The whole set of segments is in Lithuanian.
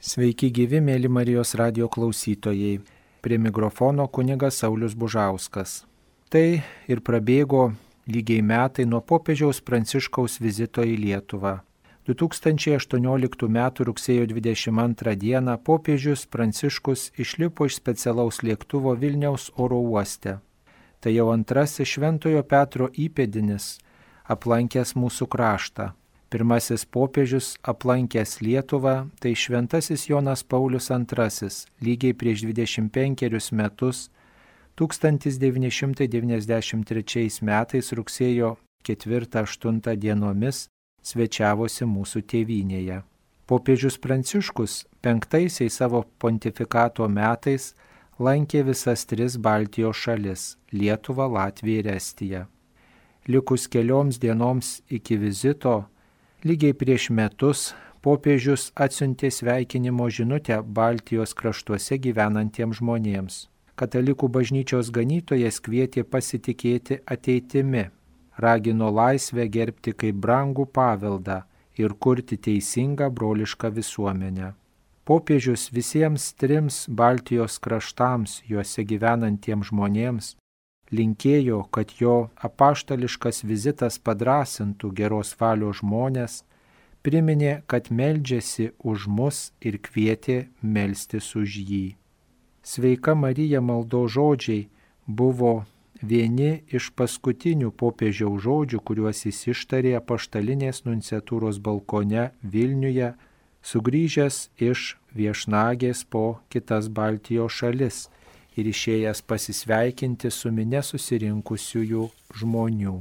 Sveiki gyvi, mėly Marijos radijo klausytojai. Prie mikrofono kunigas Saulius Bužauskas. Tai ir prabėgo lygiai metai nuo popiežiaus Pranciškaus vizito į Lietuvą. 2018 m. rugsėjo 22 d. popiežius Pranciškus išlipo iš specialaus lėktuvo Vilniaus oro uoste. Tai jau antrasis Šventojo Petro įpėdinis aplankęs mūsų kraštą. Pirmasis popiežius aplankęs Lietuvą, tai šventasis Jonas Paulius II, lygiai prieš 25 metus, 1993 metais rugsėjo 4-8 dienomis svečiavosi mūsų tėvynėje. Popiežius Pranciškus 5 savo pontifikato metais lankė visas 3 Baltijos šalis – Lietuvą, Latviją ir Estiją. Likus kelioms dienoms iki vizito, lygiai prieš metus popiežius atsiuntė sveikinimo žinutę Baltijos kraštuose gyvenantiems žmonėms. Katalikų bažnyčios ganytojas kvietė pasitikėti ateitimi, ragino laisvę gerbti kaip brangų paveldą ir kurti teisingą brolišką visuomenę. Popiežius visiems 3 Baltijos kraštams, juose gyvenantiems žmonėms, linkėjo, kad jo apaštališkas vizitas padrąsintų geros valios žmonės, priminė, kad meldžiasi už mus ir kvietė melstis už jį. Sveika Marija maldos žodžiai buvo vieni iš paskutinių popiežiaus žodžių, kuriuos jis ištarė apaštalinės nunciatūros balkone Vilniuje, sugrįžęs iš viešnagės po kitas Baltijos šalis ir išėjęs pasisveikinti su minia susirinkusiųjų žmonių.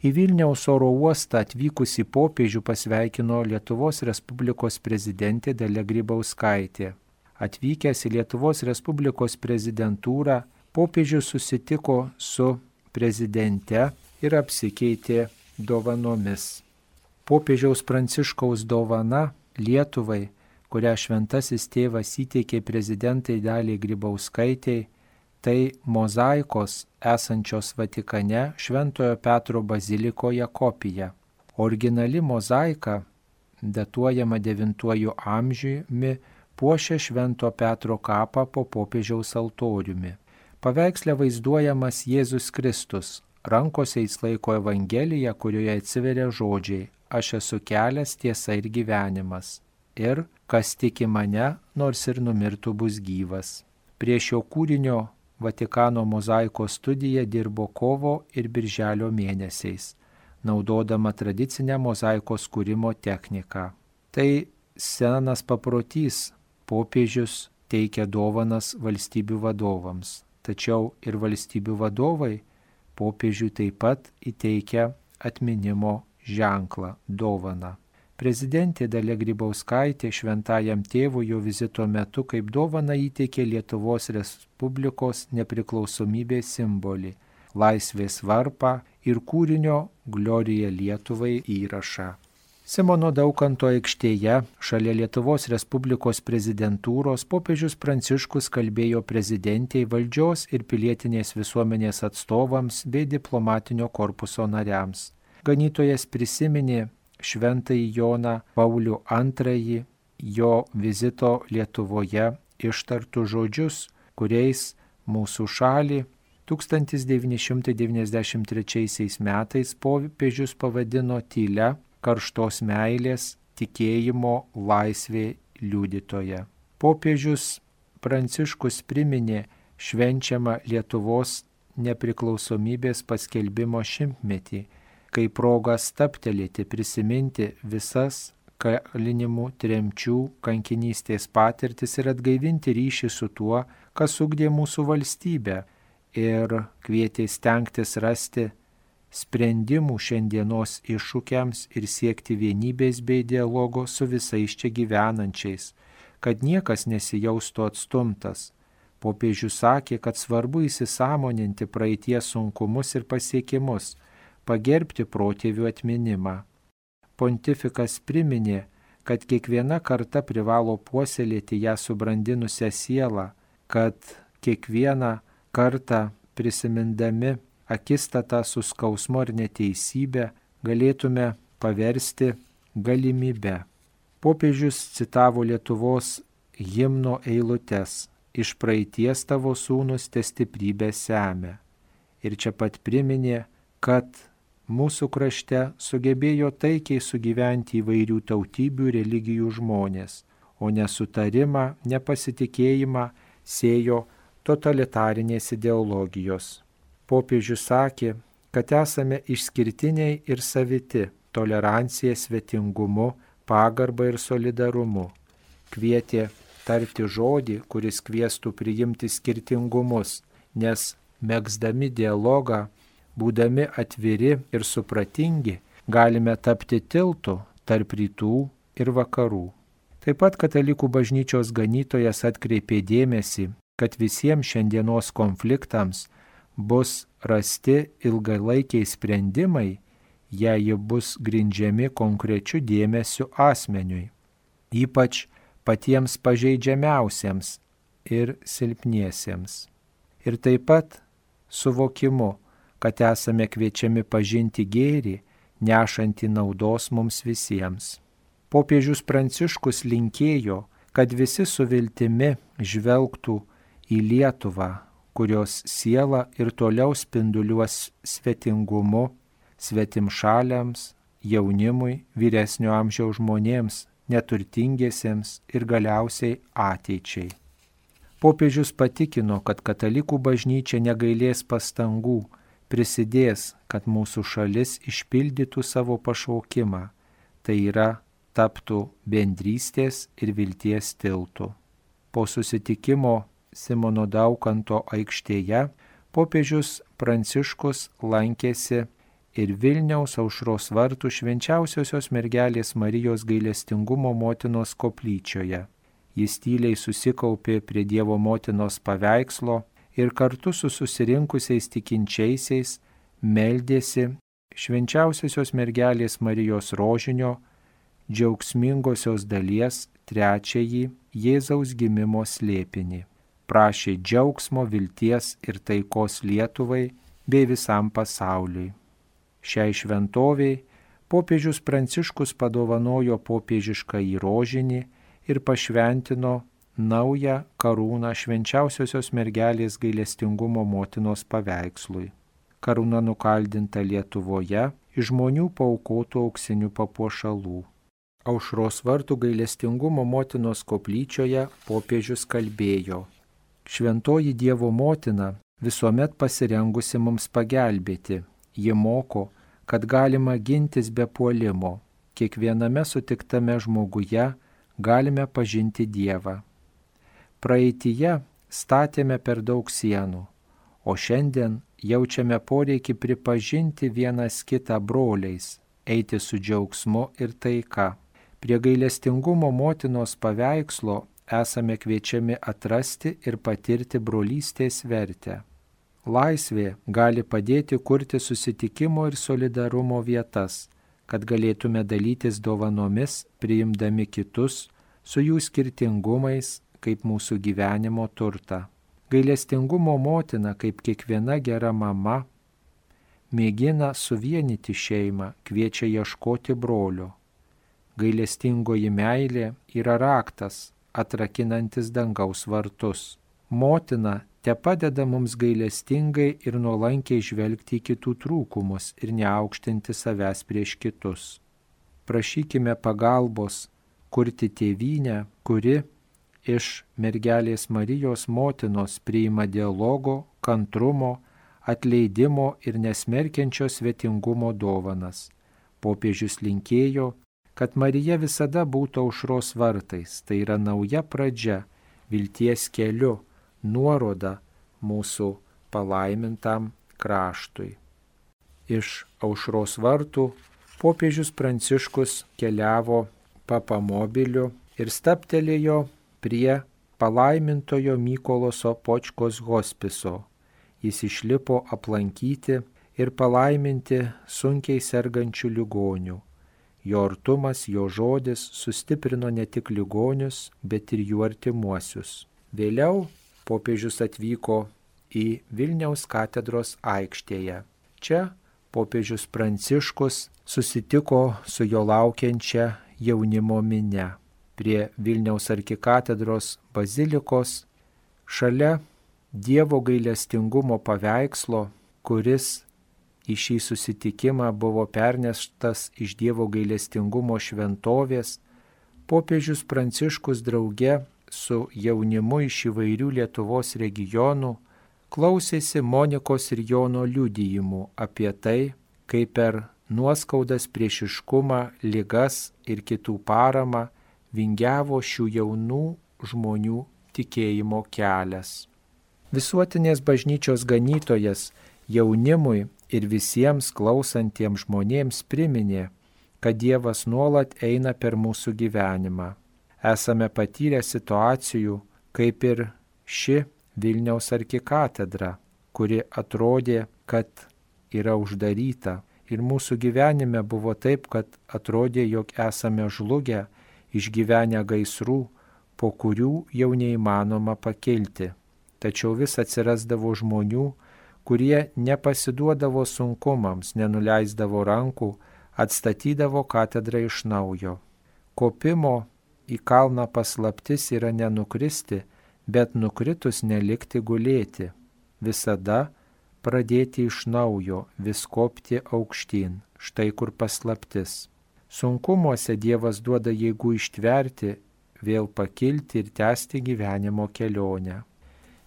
Į Vilniaus oro uostą atvykusį popiežių pasveikino Lietuvos Respublikos prezidentė Dalia Grybauskaitė. Atvykęs į Lietuvos Respublikos prezidentūrą, popiežius susitiko su prezidente ir apsikeitė dovanomis. Popiežiaus Pranciškaus dovana Lietuvai, kurią šventasis tėvas įteikė prezidentai Daliai Grybauskaitei, tai mozaikos esančios Vatikane Šventojo Petro bazilikoje kopija. Originali mozaika, datuojama 9 amžiumi, puošia Švento Petro kapą po popiežiaus altoriumi. Paveiksle vaizduojamas Jėzus Kristus, rankose jis laiko Evangeliją, kurioje atsiveria žodžiai: Aš esu kelias, tiesa ir gyvenimas. Ir kas tiki mane, nors ir numirtų, bus gyvas. Prie šio kūrinio Vatikano mozaikos studija dirbo kovo ir birželio mėnesiais, naudodama tradicinę mozaikos kūrimo techniką. Tai senas paprotys, popiežius teikia dovanas valstybių vadovams, tačiau ir valstybių vadovai popiežiui taip pat įteikia atminimo ženklą, dovaną. Prezidentė Dalia Grybauskaitė šventajam tėvui jo vizito metu kaip dovaną įteikė Lietuvos Respublikos nepriklausomybės simbolį – laisvės varpą ir kūrinio Glorija Lietuvai įrašą. Simono Daukanto aikštėje, šalia Lietuvos Respublikos prezidentūros, popiežius Pranciškus kalbėjo prezidentei, valdžios ir pilietinės visuomenės atstovams bei diplomatinio korpuso nariams. Ganytojas prisiminė Šventąjį Joną Paulių II, jo vizito Lietuvoje ištartų žodžius, kuriais mūsų šalį 1993 metais popiežius pavadino tylia, karštos meilės, tikėjimo, laisvė liudytoja. Popiežius Pranciškus priminė švenčiamą Lietuvos nepriklausomybės paskelbimo šimtmetį, kai proga stabtelėti, prisiminti visas kalinimų, tremčių, kankinystės patirtis ir atgaivinti ryšį su tuo, kas ugdė mūsų valstybę, ir kvietė stengtis rasti sprendimų šiandienos iššūkiams ir siekti vienybės bei dialogo su visais čia gyvenančiais, kad niekas nesijaustų atstumtas. Popiežius sakė, kad svarbu įsisąmoninti praeities sunkumus ir pasiekimus, pagerbti protėvių atminimą. Pontifikas priminė, kad kiekviena karta privalo puoselėti ją subrandinusią sielą, kad kiekvieną kartą prisimindami akistatą su skausmu ir neteisybė galėtume paversti galimybe. Popiežius citavo Lietuvos himno eilutes: iš praeities tavo sūnus te stiprybę semia. Ir čia pat priminė, kad mūsų krašte sugebėjo taikiai sugyventi įvairių tautybių ir religijų žmonės, o nesutarimą, nepasitikėjimą sėjo totalitarinės ideologijos. Popiežius sakė, kad esame išskirtiniai ir saviti tolerancija, svetingumu, pagarba ir solidarumu. Kvietė tarti žodį, kuris kviestų priimti skirtingumus, nes megzdami dialogą, būdami atviri ir supratingi, galime tapti tiltu tarp rytų ir vakarų. Taip pat Katalikų bažnyčios ganytojas atkreipė dėmesį, kad visiems šiandienos konfliktams bus rasti ilgalaikiai sprendimai, jei jie bus grindžiami konkrečiu dėmesiu asmeniui, ypač patiems pažeidžiamiausiems ir silpniesiems. Ir taip pat suvokimu, kad esame kviečiami pažinti gėrį, nešantį naudos mums visiems. Popiežius Pranciškus linkėjo, kad visi su viltimi žvelgtų į Lietuvą, kurios siela ir toliau spinduliuos svetingumu, svetimšaliams, jaunimui, vyresnio amžiaus žmonėms, neturtingiesiems ir galiausiai ateičiai. Popiežius patikino, kad Katalikų bažnyčia negailės pastangų, prisidės, kad mūsų šalis išpildytų savo pašaukimą, tai yra taptų bendrystės ir vilties tiltu. Po susitikimo Simono Daukanto aikštėje popiežius Pranciškus lankėsi ir Vilniaus Aušros vartų Švenčiausiosios mergelės Marijos gailestingumo motinos koplyčioje. Jis tyliai susikaupė prie Dievo motinos paveikslo ir kartu su susirinkusiais tikinčiaisiais meldėsi Švenčiausiosios mergelės Marijos rožinio džiaugsmingosios dalies trečiąjį Jėzaus gimimo slėpinį. Prašė džiaugsmo, vilties ir taikos Lietuvai bei visam pasauliui. Šiai šventoviai popiežius Pranciškus padovanojo popiežiškąjį rožinį ir pašventino naują karūną Švenčiausiosios mergelės gailestingumo motinos paveikslui. Karūna nukaldinta Lietuvoje iš žmonių paaukotų auksinių papuošalų. Aušros vartų gailestingumo motinos koplyčioje popiežius kalbėjo: Šventoji Dievo motina visuomet pasirengusi mums pagelbėti. Ji moko, kad galima gintis be puolimo. Kiekviename sutiktame žmoguje galime pažinti Dievą. Praeityje statėme per daug sienų, o šiandien jaučiame poreikį pripažinti vienas kitą broliais, eiti su džiaugsmu ir taika. Prie gailestingumo motinos paveikslo esame kviečiami atrasti ir patirti brolystės vertę. Laisvė gali padėti kurti susitikimo ir solidarumo vietas, kad galėtume dalytis dovanomis, priimdami kitus su jų skirtingumais kaip mūsų gyvenimo turtą. Gailestingumo motina, kaip kiekviena gera mama, mėgina suvienyti šeimą, kviečia ieškoti brolio. Gailestingoji meilė yra raktas, atrakinantis dangaus vartus. Motina te padeda mums gailestingai ir nuolankiai žvelgti į kitų trūkumus ir neaukštinti savęs prieš kitus. Prašykime pagalbos kurti tėvynę, kuri iš mergelės Marijos motinos priima dialogo, kantrumo, atleidimo ir nesmerkiančio svetingumo dovanas. Popiežius linkėjo, kad Marija visada būtų aušros vartais, tai yra nauja pradžia, vilties keliu, nuoroda mūsų palaimintam kraštui. Iš aušros vartų popiežius Pranciškus keliavo papamobiliu ir stabtelėjo prie palaimintojo Mykolo Sopočkos hospiso. Jis išlipo aplankyti ir palaiminti sunkiai sergančių ligonių. Jo artumas, jo žodis sustiprino ne tik ligonius, bet ir jų artimuosius. Vėliau popiežius atvyko į Vilniaus katedros aikštėje. Čia popiežius Pranciškus susitiko su jo laukiančia jaunimo minia. prie Vilniaus arkikatedros bazilikos, šalia Dievo gailestingumo paveikslo, kuris į šį susitikimą buvo perneštas iš Dievo gailestingumo šventovės, popiežius Pranciškus drauge su jaunimu iš įvairių Lietuvos regionų klausėsi Monikos ir Jono liudijimų apie tai, kaip per nuoskaudas, priešiškumą, ligas ir kitų paramą vingiavo šių jaunų žmonių tikėjimo kelias. Visuotinės bažnyčios ganytojas jaunimui ir visiems klausantiems žmonėms priminė, kad Dievas nuolat eina per mūsų gyvenimą. Esame patyrę situacijų, kaip ir ši Vilniaus arkikatedra, kuri atrodė, kad yra uždaryta. Ir mūsų gyvenime buvo taip, kad atrodė, jog esame žlugę, išgyvenę gaisrų, po kurių jau neįmanoma pakilti. Tačiau vis atsirasdavo žmonių, kurie nepasiduodavo sunkumams, nenuleisdavo rankų, atstatydavo katedrą iš naujo. Kopimo į kalną paslaptis yra nenukristi, bet nukritus nelikti gulėti. Visada pradėti iš naujo, vis kopti aukštyn. Štai kur paslaptis. Sunkumuose Dievas duoda jėgų ištverti, vėl pakilti ir tęsti gyvenimo kelionę.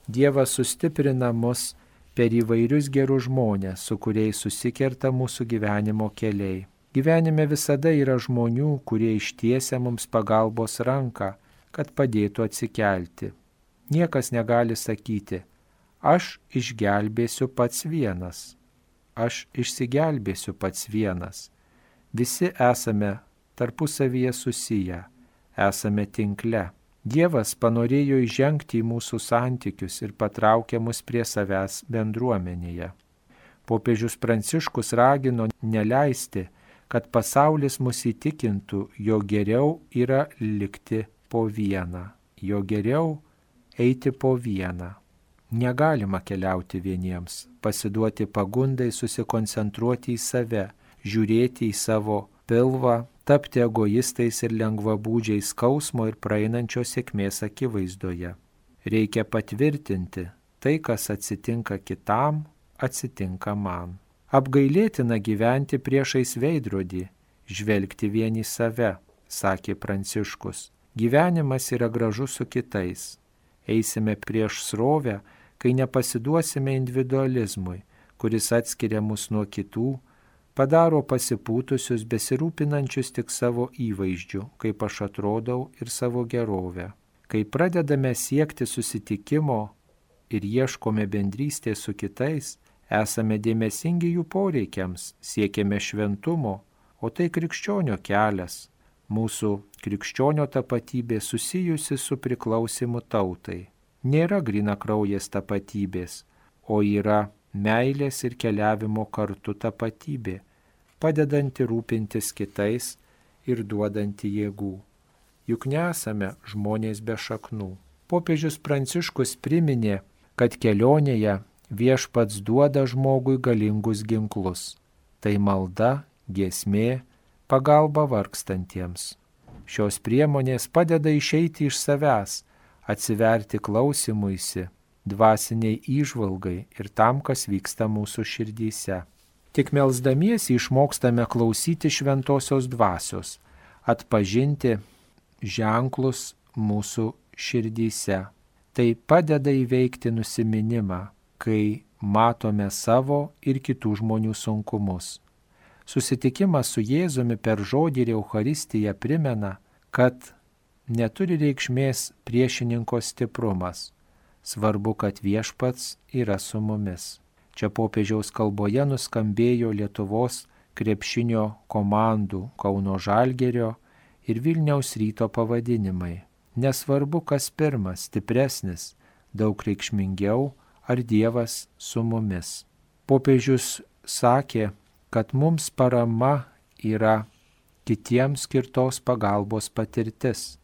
Dievas sustiprina mus per įvairius gerus žmonės, su kuriais susikerta mūsų gyvenimo keliai. Gyvenime visada yra žmonių, kurie ištiesia mums pagalbos ranką, kad padėtų atsikelti. Niekas negali sakyti, aš išgelbėsiu pats vienas, aš išsigelbėsiu pats vienas. Visi esame tarpusavyje susiję, esame tinkle. Dievas panorėjo įžengti į mūsų santykius ir patraukė mus prie savęs bendruomenėje. Popiežius Pranciškus ragino neleisti, kad pasaulis mus įtikintų, jog geriau yra likti po vieną, jog geriau eiti po vieną. Negalima keliauti vieniems, pasiduoti pagundai, susikoncentruoti į save, žiūrėti į savo pilvą, tapti egoistais ir lengvabūdžiais skausmo ir praeinančios sėkmės akivaizdoje. Reikia patvirtinti, tai, kas atsitinka kitam, atsitinka man. Apgailėtina gyventi priešais veidrodį, žvelgti vien į save, sakė Pranciškus. Gyvenimas yra gražus su kitais. Eisime prieš srovę, kai nepasiduosime individualizmui, kuris atskiria mus nuo kitų, padaro pasipūtusius, besirūpinančius tik savo įvaizdžiu, kaip aš atrodau ir savo gerovę. Kai pradedame siekti susitikimo ir ieškome bendrystės su kitais, esame dėmesingi jų poreikiams, siekiame šventumo, o tai krikščionio kelias. Mūsų krikščionio tapatybė susijusi su priklausimu tautai. Nėra grynakraujės tapatybės, o yra meilės ir keliavimo kartu tapatybė, padedanti rūpintis kitais ir duodanti jėgų. Juk nesame žmonės be šaknų. Popiežius Pranciškus priminė, kad kelionėje Viešpats duoda žmogui galingus ginklus. Tai malda, giesmė, pagalba vargstantiems. Šios priemonės padeda išeiti iš savęs, atsiverti klausimuisi, dvasiniai įžvalgai ir tam, kas vyksta mūsų širdyse. Tik melsdamiesi išmokstame klausyti šventosios dvasios, atpažinti ženklus mūsų širdyse. Tai padeda įveikti nusiminimą, kai matome savo ir kitų žmonių sunkumus. Susitikimas su Jėzumi per žodį ir Eucharistiją primena, kad neturi reikšmės priešininko stiprumas. Svarbu, kad Viešpats yra su mumis. Čia popiežiaus kalboje nuskambėjo Lietuvos krepšinio komandų Kauno Žalgirio ir Vilniaus Ryto pavadinimai. Nesvarbu, kas pirmas, stipresnis, daug reikšmingiau, ar Dievas su mumis. Popiežius sakė, kad mums parama yra kitiems skirtos pagalbos patirtis.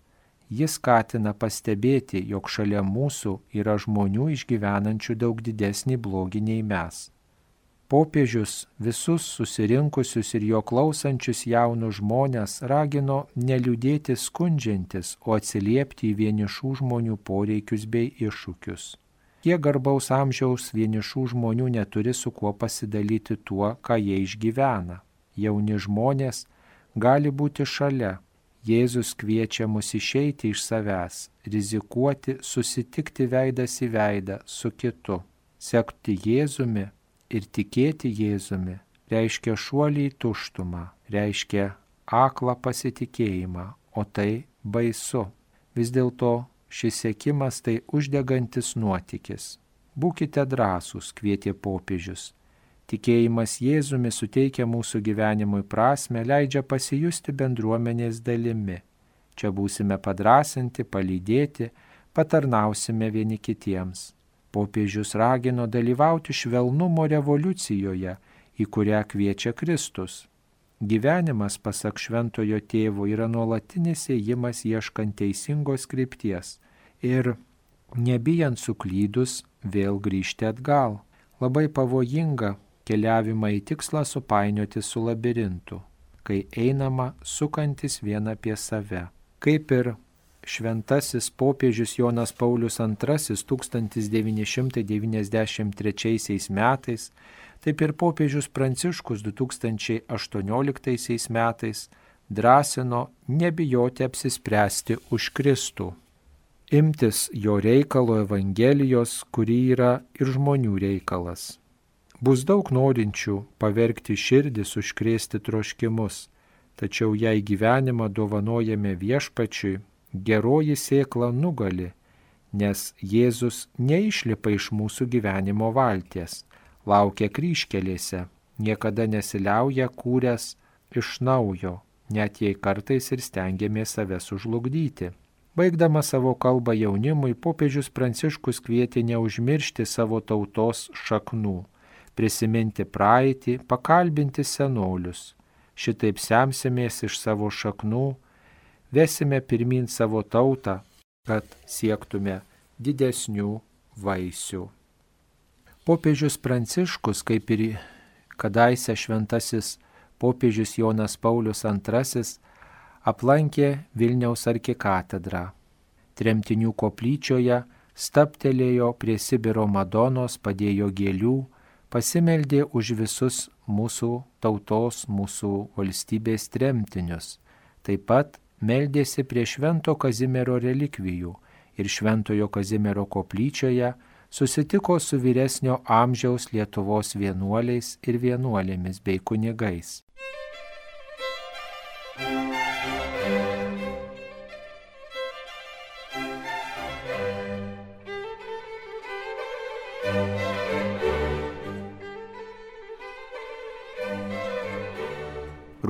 Jis skatina pastebėti, jog šalia mūsų yra žmonių išgyvenančių daug didesnį blogį nei mes. Popiežius visus susirinkusius ir jo klausančius jaunus žmonės ragino neliūdėti skundžiantis, o atsiliepti į vienišų žmonių poreikius bei iššūkius. Kiek garbaus amžiaus vienišų žmonių neturi su kuo pasidalyti tuo, ką jie išgyvena. Jauni žmonės gali būti šalia. Jėzus kviečia mus išeiti iš savęs, rizikuoti, susitikti veidas į veidą su kitu. Sekti Jėzumi ir tikėti Jėzumi reiškia šuolį į tuštumą, reiškia aklą pasitikėjimą, o tai baisu. Vis dėlto šis sekimas tai uždegantis nuotykis. Būkite drąsūs, kvietė popiežius. Tikėjimas Jėzumi suteikia mūsų gyvenimui prasmę, leidžia pasijusti bendruomenės dalimi. Čia būsime padrąsinti, palydėti, patarnausime vieni kitiems. Popiežius ragino dalyvauti švelnumo revoliucijoje, į kurią kviečia Kristus. Gyvenimas, pasak šventojo tėvo, yra nuolatinis ėjimas ieškant teisingos krypties ir, nebijant suklydus, vėl grįžti atgal. Labai pavojinga keliavimą į tikslą supainioti su labirintu, kai einama sukantis vien apie save. Kaip ir šventasis popiežius Jonas Paulius II 1993 metais, taip ir popiežius Pranciškus 2018 metais drąsino nebijoti apsispręsti už Kristų, imtis jo reikalo Evangelijos, kuri yra ir žmonių reikalas. Bus daug norinčių pavergti širdis, užkrėsti troškimus, tačiau jei gyvenimą dovanojame Viešpačiui, geroji sėkla nugali, nes Jėzus neišlipa iš mūsų gyvenimo valties, laukia kryžkelėse, niekada nesiliauja kūręs iš naujo, net jei kartais ir stengiamės save sužlugdyti. Baigdama savo kalbą jaunimui, popiežius Pranciškus kvietė neužmiršti savo tautos šaknų, prisiminti praeitį, pakalbinti senolius. Šitaip semsimės iš savo šaknų, vesime pirmyn savo tautą, kad siektume didesnių vaisių. Popiežius Pranciškus, kaip ir kadaise šventasis popiežius Jonas Paulius II, aplankė Vilniaus arkikatedrą. Tremtinių koplyčioje stabtelėjo prie Sibiro Madonos, padėjo gėlių, pasimeldė už visus mūsų tautos, mūsų valstybės tremtinius. Taip pat meldėsi prie Švento Kazimiero relikvijų ir Šventojo Kazimiero koplyčioje susitiko su vyresnio amžiaus Lietuvos vienuoliais ir vienuolėmis bei kunigais.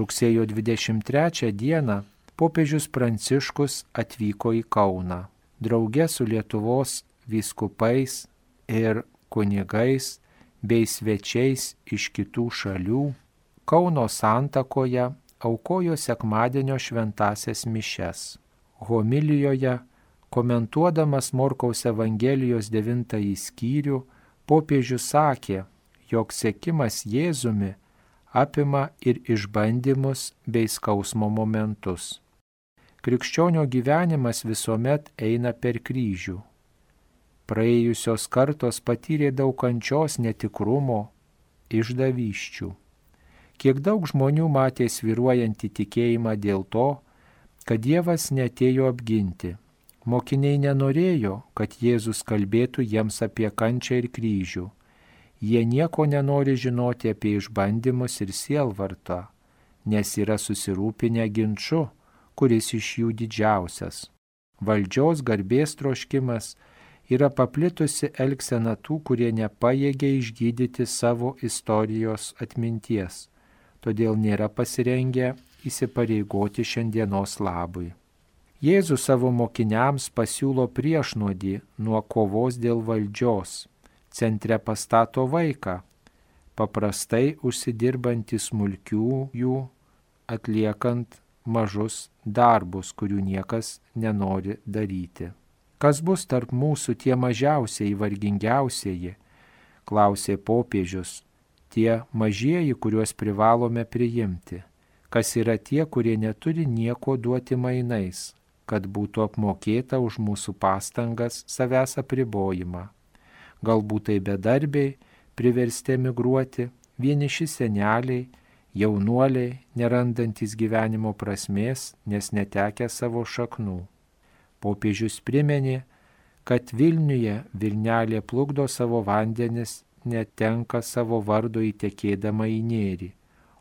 Rugsėjo 23 dieną popiežius Pranciškus atvyko į Kauną. Drauge su Lietuvos vyskupais ir kunigais bei svečiais iš kitų šalių Kauno santakoje aukojo sekmadienio šventąsias mišias. Homilijoje, komentuodamas Morkaus Evangelijos 9 skyrių, popiežius sakė, jog sekimas Jėzumi apima ir išbandymus bei skausmo momentus. Krikščionio gyvenimas visuomet eina per kryžių. Praėjusios kartos patyrė daug kančios, netikrumo, išdavysčių. Kiek daug žmonių matė svyruojantį tikėjimą dėl to, kad Dievas neatėjo apginti. Mokiniai nenorėjo, kad Jėzus kalbėtų jiems apie kančią ir kryžių. Jie nieko nenori žinoti apie išbandymus ir sielvartą, nes yra susirūpinę ginču, kuris iš jų didžiausias. Valdžios garbės troškimas yra paplitusi elgsena tų, kurie nepajėgia išgydyti savo istorijos atminties, todėl nėra pasirengę įsipareigoti šiandienos labui. Jėzus savo mokiniams pasiūlo priešnuodį nuo kovos dėl valdžios. Centre pastato vaiką, paprastai užsidirbantį smulkiųjų, atliekant mažus darbus, kurių niekas nenori daryti. Kas bus tarp mūsų tie mažiausieji, vargingiausieji, klausė popiežius. tie mažieji, kuriuos privalome priimti, kas yra tie, kurie neturi nieko duoti mainais, kad būtų apmokėta už mūsų pastangas savęs apribojimą. Galbūt tai bedarbiai, priversti emigruoti, vieniši seneliai, jaunuoliai, nerandantis gyvenimo prasmės, nes netekę savo šaknų. Popiežius priminė, kad Vilniuje Vilnelė plukdo savo vandenis, netenka savo vardo įtekėdama į Nėrį,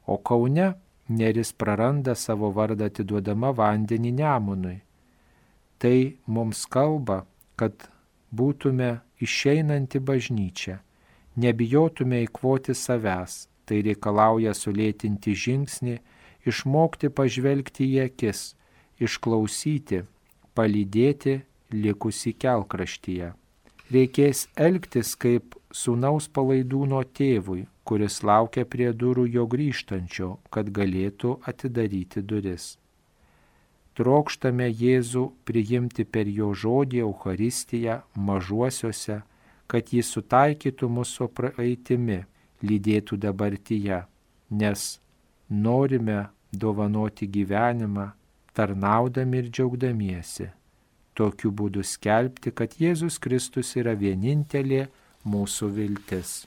o Kaune Neris praranda savo vardą atiduodama vandenį Nemunui. Tai mums kalba, kad būtume išeinanti bažnyčia, nebijotume eikvoti savęs, tai reikalauja sulėtinti žingsnį, išmokti pažvelgti į akis, išklausyti, palydėti likusį kelkraštyje. Reikės elgtis kaip sūnaus palaidūno tėvui, kuris laukia prie durų jo grįžtančio, kad galėtų atidaryti duris. Trokštame Jėzų priimti per jo žodį Eucharistiją mažuosiuose, kad jis sutaikytų mūsų praeitimi, lydėtų dabartyje, nes norime dovanoti gyvenimą, tarnaudami ir džiaugdamiesi. Tokiu būdu skelbti, kad Jėzus Kristus yra vienintelė mūsų viltis.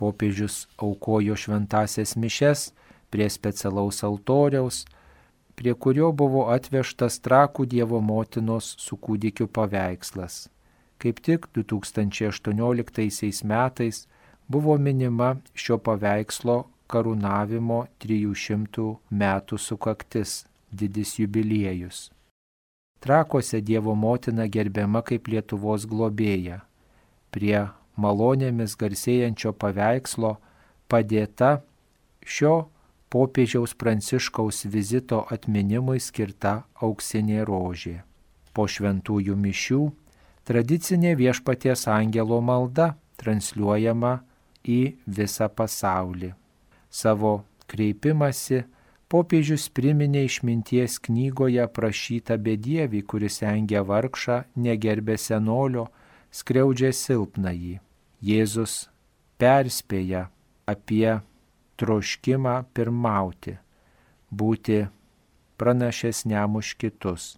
Popiežius aukojo šventąsias mišes prie specialaus altoriaus, prie kurio buvo atvežtas Trakų Dievo motinos su kūdikiu paveikslas. Kaip tik 2018 metais buvo minima šio paveikslo karūnavimo 300 metų sukaktis, didis jubiliejus. Trakuose Dievo motina gerbiama kaip Lietuvos globėja. Prie malonėmis garsėjančio paveikslo padėta šio popiežiaus Pranciškaus vizito atminimui skirta auksinė rožė. Po šventųjų mišių tradicinė Viešpaties angelo malda transliuojama į visą pasaulį. Savo kreipimąsi popiežius priminė išminties knygoje aprašytą bedievį, kuris engia vargšą, negerbė senolio, skriaudžia silpnąjį. Jėzus perspėja apie troškimą pirmauti, būti pranašesniam už kitus.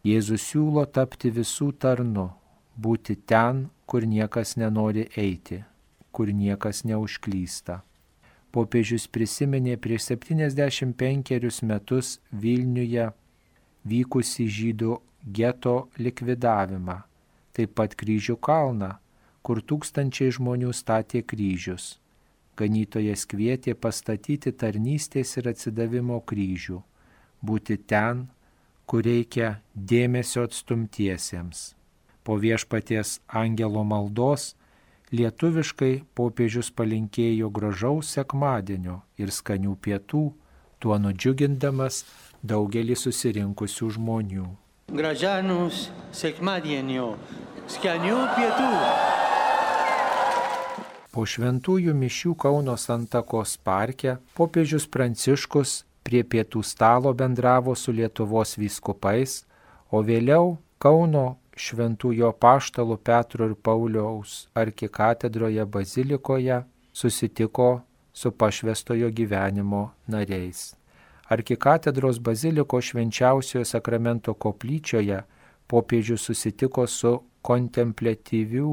Jėzus siūlo tapti visų tarnu, būti ten, kur niekas nenori eiti, kur niekas neužklysta. Popiežius prisiminė prieš 75 metus Vilniuje vykusį žydų geto likvidavimą, taip pat Kryžių kalną, kur tūkstančiai žmonių statė kryžius. Ganytojas kvietė pastatyti tarnystės ir atsidavimo kryžių, būti ten, kur reikia dėmesio atstumtiesiems. Po Viešpaties angelo maldos lietuviškai popiežius palinkėjo gražaus sekmadienio ir skanių pietų, tuo nudžiugindamas daugelį susirinkusių žmonių. Gražanus sekmadienio, skanių pietų. Po šventųjų mišių Kauno Santakos parke popiežius Pranciškus prie pietų stalo bendravo su Lietuvos vyskupais, o vėliau Kauno Šventųjų apaštalų Petro ir Pauliaus arkikatedroje bazilikoje susitiko su pašvęstojo gyvenimo nariais. Arkikatedros baziliko švenčiausiojo sakramento koplyčioje popiežius susitiko su kontempliatyvių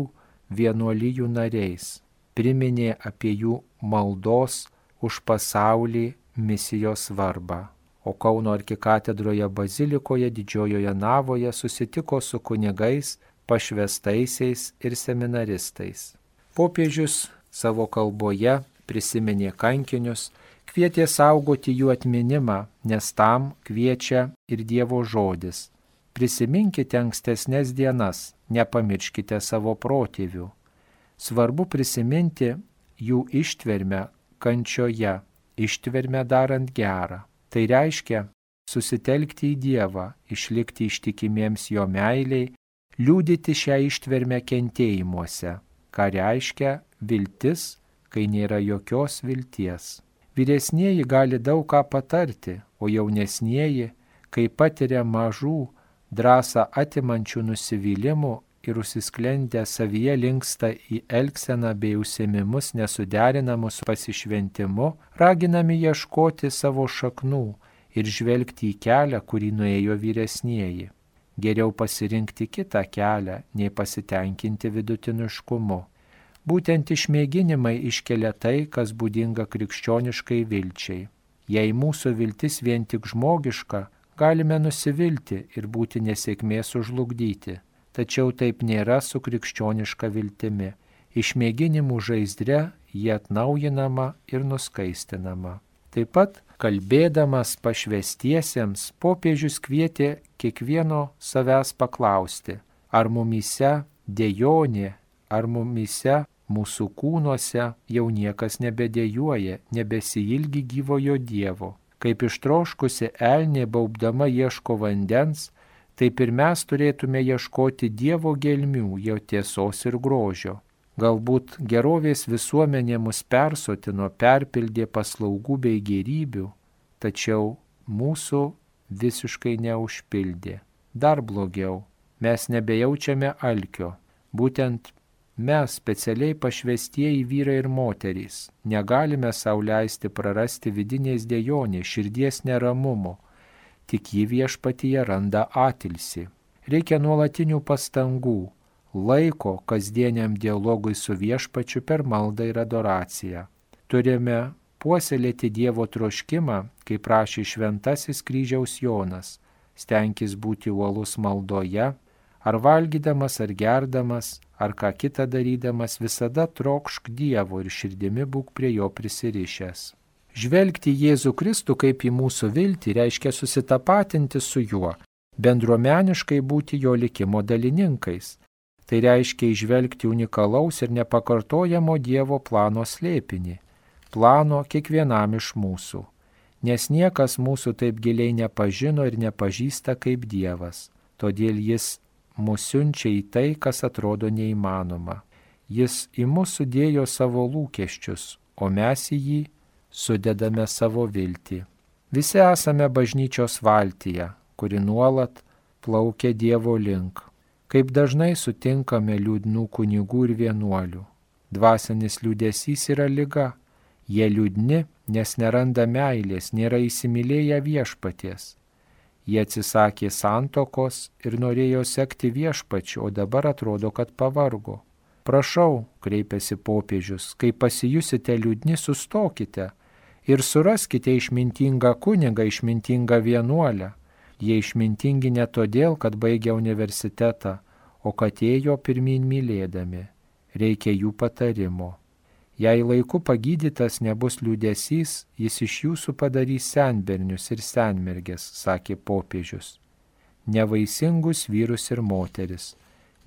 vienuolijų nariais, priminė apie jų maldos už pasaulį misijos svarbą. O Kauno arkikatedroje bazilikoje didžiojoje navoje susitiko su kunigais, pašvęstaisiais ir seminaristais. Popiežius savo kalboje prisiminė kankinius, kvietė saugoti jų atminimą, nes tam kviečia ir Dievo žodis. Prisiminkite ankstesnės dienas, nepamirškite savo protėvių. Svarbu prisiminti jų ištvermę kančioje, ištvermę darant gerą. Tai reiškia susitelkti į Dievą, išlikti ištikimiems jo meiliai, liudyti šią ištvermę kentėjimuose, ką reiškia viltis, kai nėra jokios vilties. Vyresnieji gali daug ką patarti, o jaunesnieji, kai patiria mažų, drąsą atimančių nusivylimų, ir užsisklendę savyje linksta į elgseną bei užsiėmimus nesuderinamus su pasišventimu, raginami ieškoti savo šaknų ir žvelgti į kelią, kurį nuėjo vyresnieji. Geriau pasirinkti kitą kelią, nei pasitenkinti vidutiniškumu. Būtent išmėginimai iškelia tai, kas būdinga krikščioniškai vilčiai. Jei mūsų viltis vien tik žmogiška, galime nusivilti ir būti nesėkmės sužlugdyti. Tačiau taip nėra su krikščioniška viltimi. Išmėginimų žaizdre jie atnaujinama ir nuskaistinama. Taip pat, kalbėdamas pašvęstiesiems, popiežius kvietė kiekvieno savęs paklausti, ar mumyse dejonė, ar mumyse mūsų kūnuose jau niekas nebedejuoja, nebesiilgi gyvojo Dievo. Kaip ištroškusi elnė baubdama ieško vandens, taip ir mes turėtume ieškoti Dievo gelmių, jo tiesos ir grožio. Galbūt gerovės visuomenė mus persotino, perpildė paslaugų bei gėrybių, tačiau mūsų visiškai neužpildė. Dar blogiau, mes nebejaučiame alkio. Būtent mes, specialiai pašvęstieji vyrai ir moterys, negalime sau leisti prarasti vidinės dejonės, širdies neramumo, tik ji viešpatyje randa atilsį. Reikia nuolatinių pastangų, laiko kasdieniam dialogui su viešpačiu per maldą ir adoraciją. Turime puoselėti Dievo troškimą, kaip prašė šventasis kryžiaus Jonas, stenkis būti uolus maldoje, ar valgydamas, ar gerdamas, ar ką kitą darydamas, visada trokšk Dievo ir širdimi būk prie jo prisirišęs. Žvelgti Jėzų Kristų kaip į mūsų viltį reiškia susitapatinti su juo, bendruomeniškai būti jo likimo dalininkais. Tai reiškia įžvelgti unikalaus ir nepakartojamo Dievo plano slėpinį, plano kiekvienam iš mūsų, nes niekas mūsų taip giliai nepažino ir nepažįsta kaip Dievas, todėl jis mus siunčia į tai, kas atrodo neįmanoma. Jis į mus sudėjo savo lūkesčius, o mes į jį sudedame savo viltį. Visi esame bažnyčios valtyje, kuri nuolat plaukia Dievo link. Kaip dažnai sutinkame liūdnų kunigų ir vienuolių. Dvasinis liūdesys yra liga. Jie liūdni, nes neranda meilės, nėra įsimylėję viešpaties. Jie atsisakė santokos ir norėjo sekti viešpačiu, o dabar atrodo, kad pavargo. Prašau, kreipėsi popiežius, kai pasijusite liūdni, sustokite ir suraskite išmintingą kunigą, išmintingą vienuolę. Jie išmintingi ne todėl, kad baigė universitetą, o kad ėjo pirmyn mylėdami. Reikia jų patarimo. Jei laiku pagydytas nebus liūdesys, jis iš jūsų padarys senbernius ir senmergės, sakė popiežius. Nevaisingus vyrus ir moteris.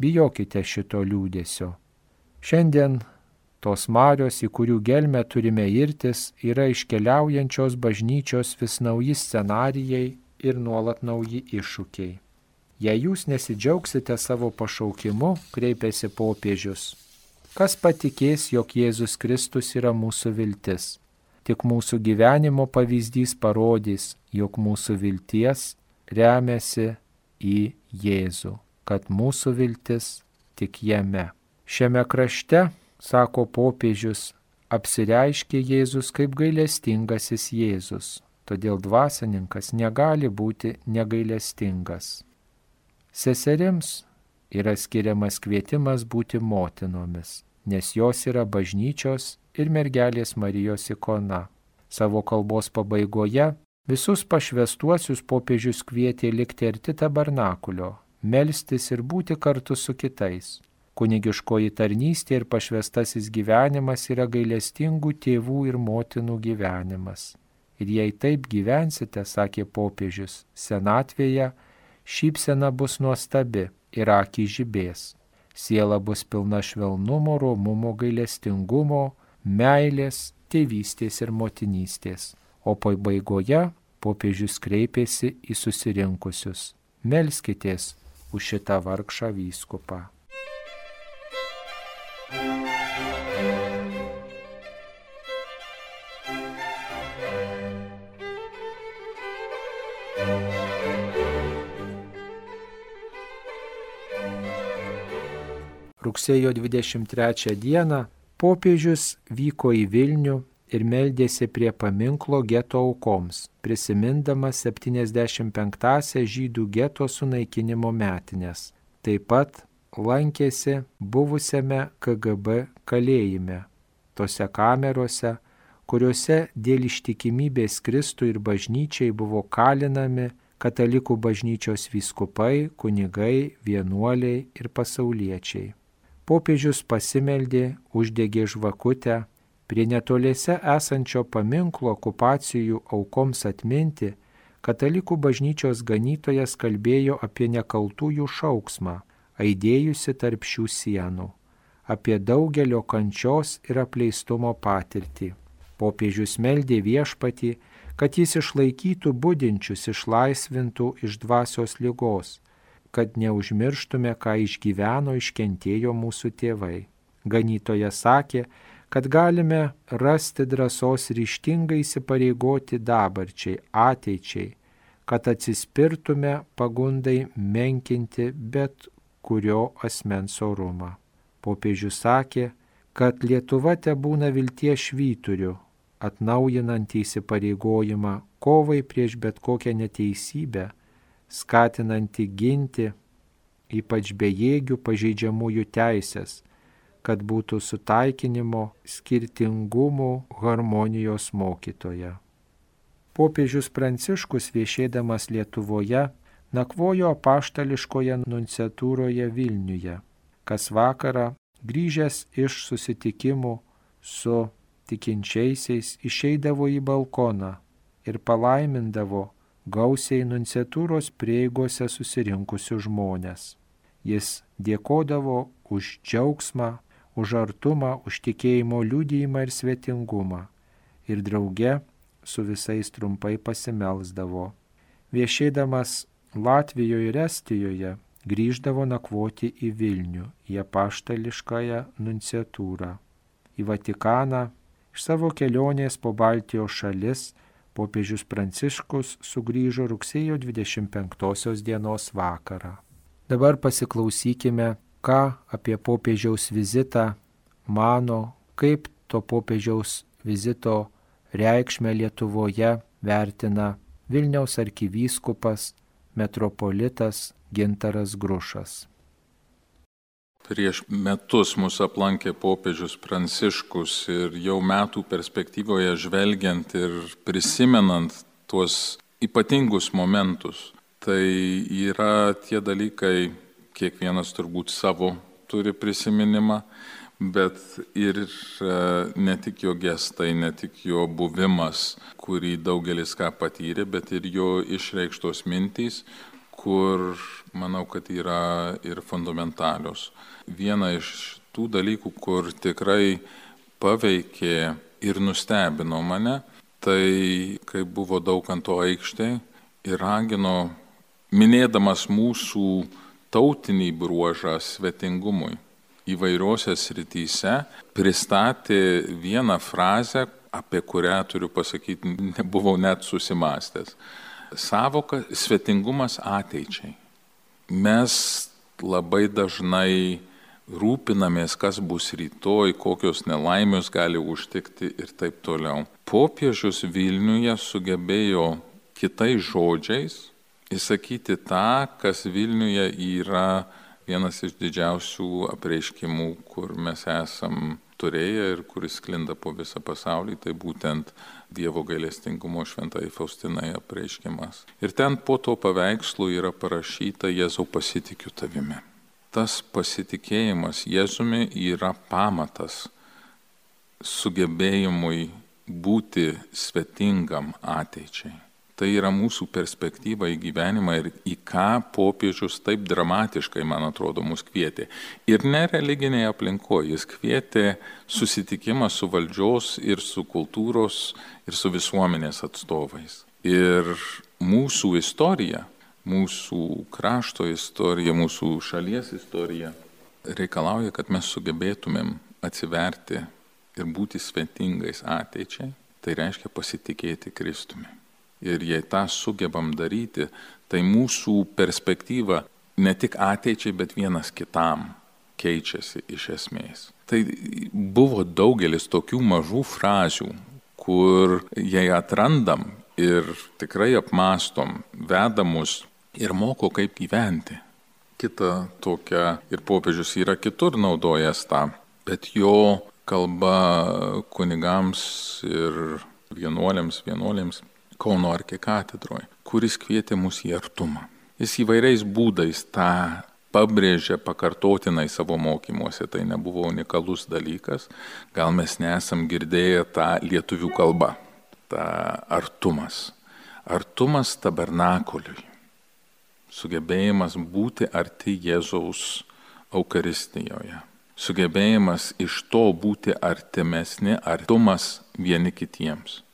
Bijokite šito liūdesio. Šiandien tos marios, į kurių gelmę turime irtis, yra iškeliaujančios bažnyčios vis nauji scenarijai ir nuolat nauji iššūkiai. Jei jūs nesidžiaugsite savo pašaukimu, kreipėsi popiežius, kas patikės, jog Jėzus Kristus yra mūsų viltis? Tik mūsų gyvenimo pavyzdys parodys, jog mūsų vilties remiasi į Jėzų, kad mūsų viltis tik jame. Šiame krašte, sako popiežius, apsireiškė Jėzus kaip gailestingasis Jėzus. Todėl dvasininkas negali būti negailestingas. Seserims yra skiriamas kvietimas būti motinomis, nes jos yra bažnyčios ir mergelės Marijos ikona. Savo kalbos pabaigoje visus pašvęstuosius popiežius kvietė likti arti tabernakulio, melstis ir būti kartu su kitais. Kunigiškoji tarnystė ir pašvęstasis gyvenimas yra gailestingų tėvų ir motinų gyvenimas. Ir jei taip gyvensite, sakė popiežius, senatvėje šypsena bus nuostabi ir akys žibės. Siela bus pilna švelnumo, romumo, gailestingumo, meilės, tėvystės ir motinystės. O pabaigoje popiežius kreipėsi į susirinkusius. Melskitės už šitą vargšą vyskupą. rugsėjo 23 dieną popiežius vyko į Vilnių ir meldėsi prie paminklo geto aukoms, prisimindamas 75-asias žydų geto sunaikinimo metinės. Taip pat lankėsi buvusiame KGB kalėjime, tose kamerose, kuriuose dėl ištikimybės Kristui ir bažnyčiai buvo kalinami katalikų bažnyčios vyskupai, kunigai, vienuoliai ir pasauliečiai. Popiežius pasimeldė, uždegė žvakutę, prie netoliese esančio paminklo okupacijų aukoms atminti, katalikų bažnyčios ganytojas kalbėjo apie nekaltųjų šauksmą, aidėjusi tarp šių sienų, apie daugelio kančios ir apleistumo patirtį. Popiežius meldė Viešpatį, kad jis išlaikytų budinčius, išlaisvintų iš dvasios ligos, kad neužmirštume, ką išgyveno, iškentėjo mūsų tėvai. Ganytojas sakė, kad galime rasti drąsos ryžtingai įsipareigoti dabarčiai, ateičiai, kad atsispirtume pagundai menkinti bet kurio asmens orumą. Popiežius sakė, kad Lietuva tebūna vilties švyturiu, atnaujinant įsipareigojimą kovai prieš bet kokią neteisybę, skatinantį ginti ypač bejėgių pažeidžiamųjų teisės, kad būtų sutaikinimo, skirtingumų, harmonijos mokytoja. Popiežius Pranciškus viešėdamas Lietuvoje nakvojo apaštališkoje nunciatūroje Vilniuje, kas vakarą grįžęs iš susitikimų su tikinčiaisiais išeidavo į balkoną ir palaimindavo gausiai nunciatūros prieigose susirinkusius žmonės. Jis dėkodavo už džiaugsmą, už artumą, už tikėjimo liudijimą ir svetingumą ir drauge su visais trumpai pasimelsdavo. Viešėdamas Latvijoje ir Estijoje grįždavo nakvoti į Vilnių, į apaštališkąją nunciatūrą, į Vatikaną. Iš savo kelionės po Baltijos šalis popiežius Pranciškus sugrįžo rugsėjo 25 dienos vakarą. Dabar pasiklausykime, ką apie popiežiaus vizitą mano, kaip to popiežiaus vizito reikšmę Lietuvoje vertina Vilniaus arkivyskupas metropolitas Gintaras Grušas. Prieš metus mūsų aplankė popiežius Pranciškus ir jau metų perspektyvoje žvelgiant ir prisimenant tuos ypatingus momentus, tai yra tie dalykai, kiekvienas turbūt savo turi prisiminimą, bet ir ne tik jo gestai, ne tik jo buvimas, kurį daugelis ką patyrė, bet ir jo išreikštos mintys, kur manau, kad yra ir fundamentalios. Viena iš tų dalykų, kur tikrai paveikė ir nustebino mane, tai kai buvo Daukanto aikštėje ir ragino, minėdamas mūsų tautinį bruožą svetingumui įvairiose srityse, pristatė vieną frazę, apie kurią, turiu pasakyti, nebuvau net susimąstęs. Savoka svetingumas ateičiai. Mes labai dažnai rūpinamės, kas bus rytoj, kokios nelaimės gali užtikti ir taip toliau. Popiežius Vilniuje sugebėjo kitais žodžiais įsakyti tą, kas Vilniuje yra vienas iš didžiausių apreiškimų, kur mes esam turėję ir kuris sklinda po visą pasaulį, tai būtent Dievo gailestingumo šventai Faustinai apreiškimas. Ir ten po to paveikslu yra parašyta Jėzau pasitikiu tavimi. Tas pasitikėjimas Jėzumi yra pamatas sugebėjimui būti svetingam ateičiai. Tai yra mūsų perspektyva į gyvenimą ir į ką popiežius taip dramatiškai, man atrodo, mus kvietė. Ir ne religinėje aplinkoje, jis kvietė susitikimą su valdžios ir su kultūros ir su visuomenės atstovais. Ir mūsų istorija, mūsų krašto istorija, mūsų šalies istorija reikalauja, kad mes sugebėtumėm atsiverti ir būti svetingais ateičiai, tai reiškia pasitikėti Kristumi. Ir jei tą sugebam daryti, tai mūsų perspektyva ne tik ateičiai, bet vienas kitam keičiasi iš esmės. Tai buvo daugelis tokių mažų frazių, kur jei atrandam ir tikrai apmastom, veda mus ir moko, kaip gyventi. Kita tokia, ir popiežius yra kitur naudojęs tą, bet jo kalba kunigams ir vienuolėms Kauno arkikatedroje, kuris kvietė mus į artumą. Jis įvairiais būdais tą pabrėžė pakartotinai savo mokymuose, tai nebuvo unikalus dalykas, gal mes nesam girdėję tą lietuvių kalbą, tą artumas. Artumas tabernakuliui, sugebėjimas būti arti Jėzaus Eucharistijoje, sugebėjimas iš to būti artimesni, artumas vieni kitiems.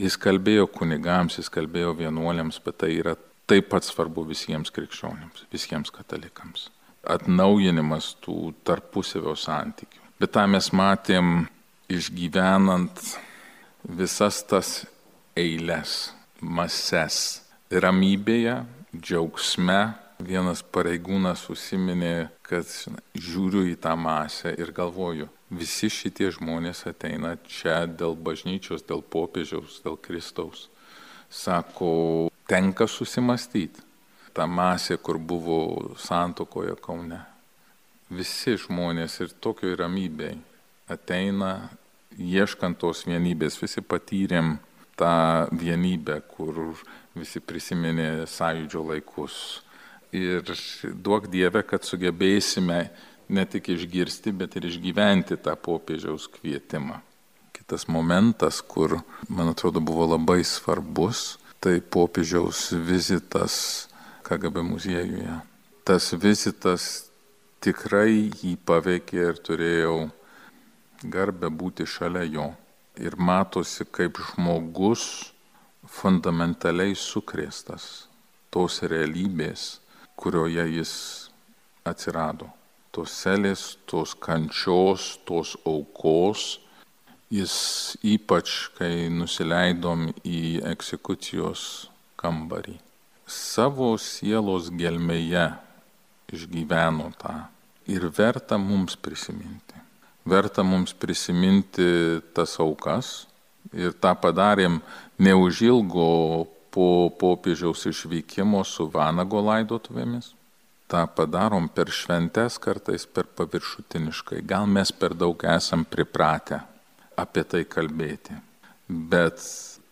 Jis kalbėjo kunigams, jis kalbėjo vienuoliams, bet tai yra taip pat svarbu visiems krikščionims, visiems katalikams. Atnaujinimas tų tarpusavio santykių. Bet tą mes matėm išgyvenant visas tas eiles, mases, ramybėje, džiaugsme. Vienas pareigūnas užsiminė, kad žiūriu į tą masę ir galvoju, visi šitie žmonės ateina čia dėl bažnyčios, dėl popiežiaus, dėl Kristaus. Sako, tenka susimastyti. Ta masė, kur buvo santuokoje Kaune. Visi žmonės ir tokioj ramybėj ateina, ieškant tos vienybės. Visi patyrėm tą vienybę, kur visi prisiminė sąjūdžio laikus. Ir duok Dieve, kad sugebėsime ne tik išgirsti, bet ir išgyventi tą popiežiaus kvietimą. Kitas momentas, kur, man atrodo, buvo labai svarbus, tai popiežiaus vizitas KGB muziejuje. Tas vizitas tikrai jį paveikė ir turėjau garbę būti šalia jo. Ir matosi, kaip žmogus fundamentaliai sukrėstas tos realybės, kurioje jis atsirado. Tos selės, tos kančios, tos aukos. Jis ypač, kai nusileidom į egzekucijos kambarį, savo sielos gelmėje išgyveno tą. Ir verta mums prisiminti. Verta mums prisiminti tas aukas. Ir tą padarėm neužilgo po popiežiaus išvykimo su Vanago laidotuvėmis. tą padarom per šventes, kartais per paviršutiniškai. Gal mes per daug esam pripratę apie tai kalbėti. Bet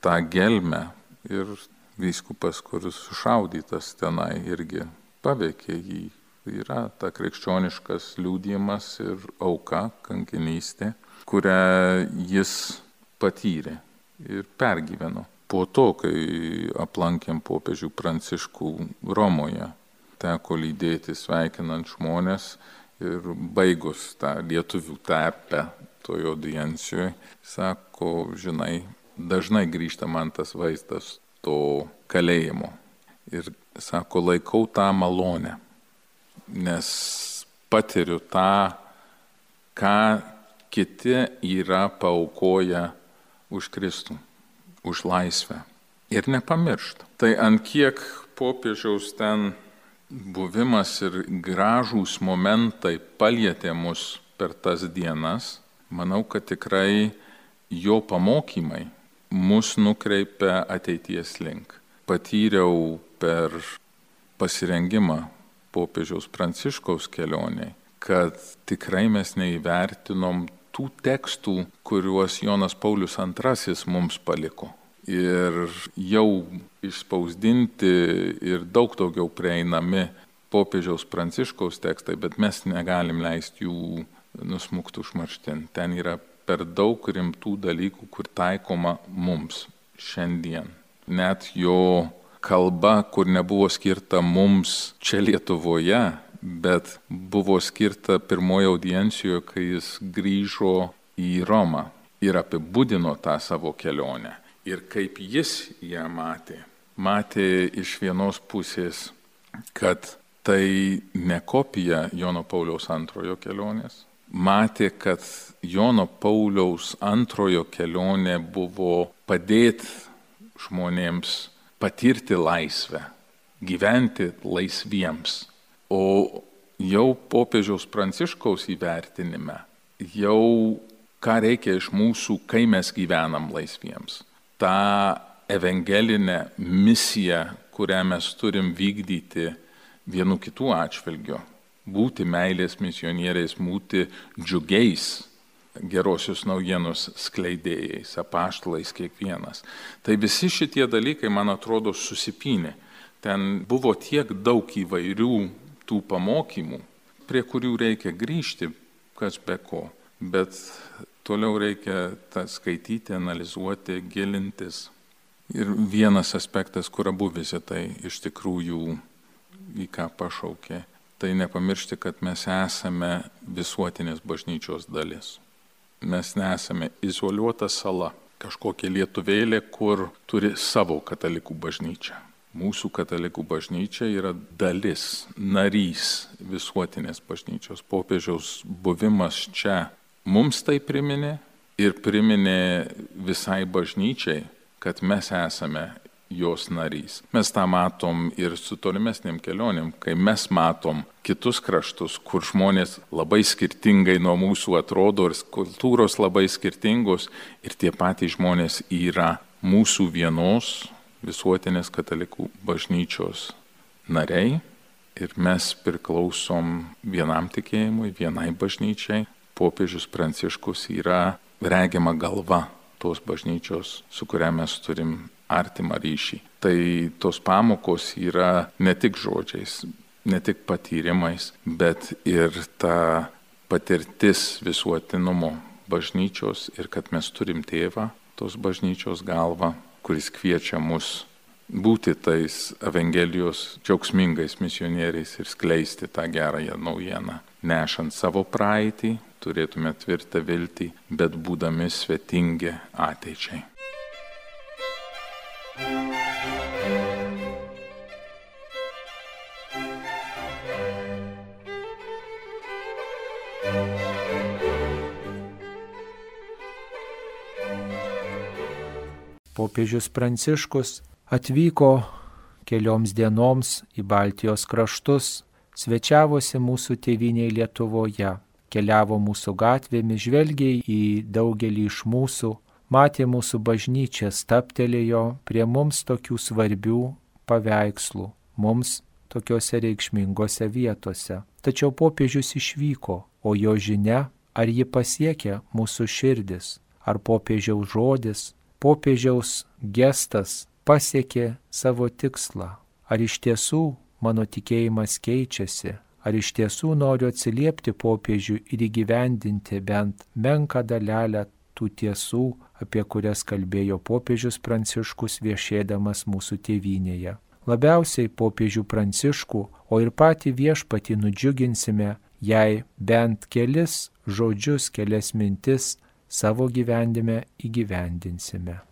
tą gelmę ir vyskupas, kuris sušaudytas tenai, irgi paveikė jį. Yra ta krikščioniškas liudijimas ir auka, kankinystė, kurią jis patyrė ir pergyveno. Po to, kai aplankėm popiežių Pranciškų Romoje, teko lydėti sveikinant žmonės ir baigus tą lietuvių terpę toje audiencijoje, sako, žinai, dažnai grįžta man tas vaizdas to kalėjimo. Ir sako, laikau tą malonę, nes patiriu tą, ką kiti yra paaukoję už Kristų, už laisvę. Ir nepamiršta. Tai ant kiek popiežiaus ten buvimas ir gražūs momentai palietė mus per tas dienas, manau, kad tikrai jo pamokymai mus nukreipia ateities link. Patyriau per pasirengimą popiežiaus Pranciškaus kelioniai, kad tikrai mes neįvertinom tų tekstų, kuriuos Jonas Paulius II mums paliko. Ir jau išspausdinti ir daug daugiau prieinami popiežiaus Pranciškaus tekstai, bet mes negalim leisti jų nusmukti užmarštin. Ten yra per daug rimtų dalykų, kur taikoma mums šiandien. Net jo kalba, kur nebuvo skirta mums čia Lietuvoje, bet buvo skirta pirmoje audiencijoje, kai jis grįžo į Romą ir apibūdino tą savo kelionę. Ir kaip jis ją matė. Matė iš vienos pusės, kad tai ne kopija Jono Pauliaus II kelionės. Matė, kad Jono Pauliaus II kelionė buvo padėti žmonėms patirti laisvę, gyventi laisviems. O jau popiežiaus Pranciškaus įvertinime, jau ką reikia iš mūsų, kai mes gyvenam laisviems. Ta evangelinė misija, kurią mes turim vykdyti vienu kitų atžvilgiu, būti meilės misionieriais, būti džiugiais, gerosios naujienos skleidėjais, apaštalais kiekvienas. Tai visi šitie dalykai, man atrodo, susipynė. Ten buvo tiek daug įvairių tų pamokymų, prie kurių reikia grįžti, kas be ko. Bet toliau reikia tą skaityti, analizuoti, gilintis. Ir vienas aspektas, kur abu vizitai iš tikrųjų į ką pašaukė, tai nepamiršti, kad mes esame visuotinės bažnyčios dalis. Mes nesame izoliuota sala, kažkokia lietuvėlė, kur turi savo katalikų bažnyčią. Mūsų katalikų bažnyčia yra dalis, narys visuotinės bažnyčios. Popiežiaus buvimas čia mums tai priminė ir priminė visai bažnyčiai, kad mes esame jos narys. Mes tą matom ir su tolimesnėm kelionėm, kai mes matom kitus kraštus, kur žmonės labai skirtingai nuo mūsų atrodo ir kultūros labai skirtingos ir tie patys žmonės yra mūsų vienos visuotinės katalikų bažnyčios nariai ir mes priklausom vienam tikėjimui, vienai bažnyčiai. Popiežius Pranciškus yra regima galva tos bažnyčios, su kuria mes turim artimą ryšį. Tai tos pamokos yra ne tik žodžiais, ne tik patyrimais, bet ir ta patirtis visuotinumo bažnyčios ir kad mes turim tėvą, tos bažnyčios galvą, kuris kviečia mus būti tais Evangelijos džiaugsmingais misionieriais ir skleisti tą gerąją naujieną. Nešant savo praeitį, turėtume tvirtą viltį, bet būdami svetingi ateičiai. Popiežius Pranciškus atvyko kelioms dienoms į Baltijos kraštus, svečiavosi mūsų tėvynėje Lietuvoje, keliavo mūsų gatvėmis, žvelgė į daugelį iš mūsų, matė mūsų bažnyčią, stabtelėjo prie mums tokių svarbių paveikslų, mums tokiose reikšmingose vietose. Tačiau popiežius išvyko, o jo žinia, ar ji pasiekė mūsų širdis, ar popiežiaus žodis, popiežiaus gestas pasiekė savo tikslą, ar iš tiesų mano tikėjimas keičiasi, ar iš tiesų noriu atsiliepti popiežiui ir įgyvendinti bent menką dalelę tų tiesų, apie kurias kalbėjo popiežius Pranciškus viešėdamas mūsų tėvynėje. Labiausiai popiežių Pranciškų, o ir patį viešpatį nudžiuginsime, jei bent kelis žodžius, kelias mintis savo gyvenime įgyvendinsime.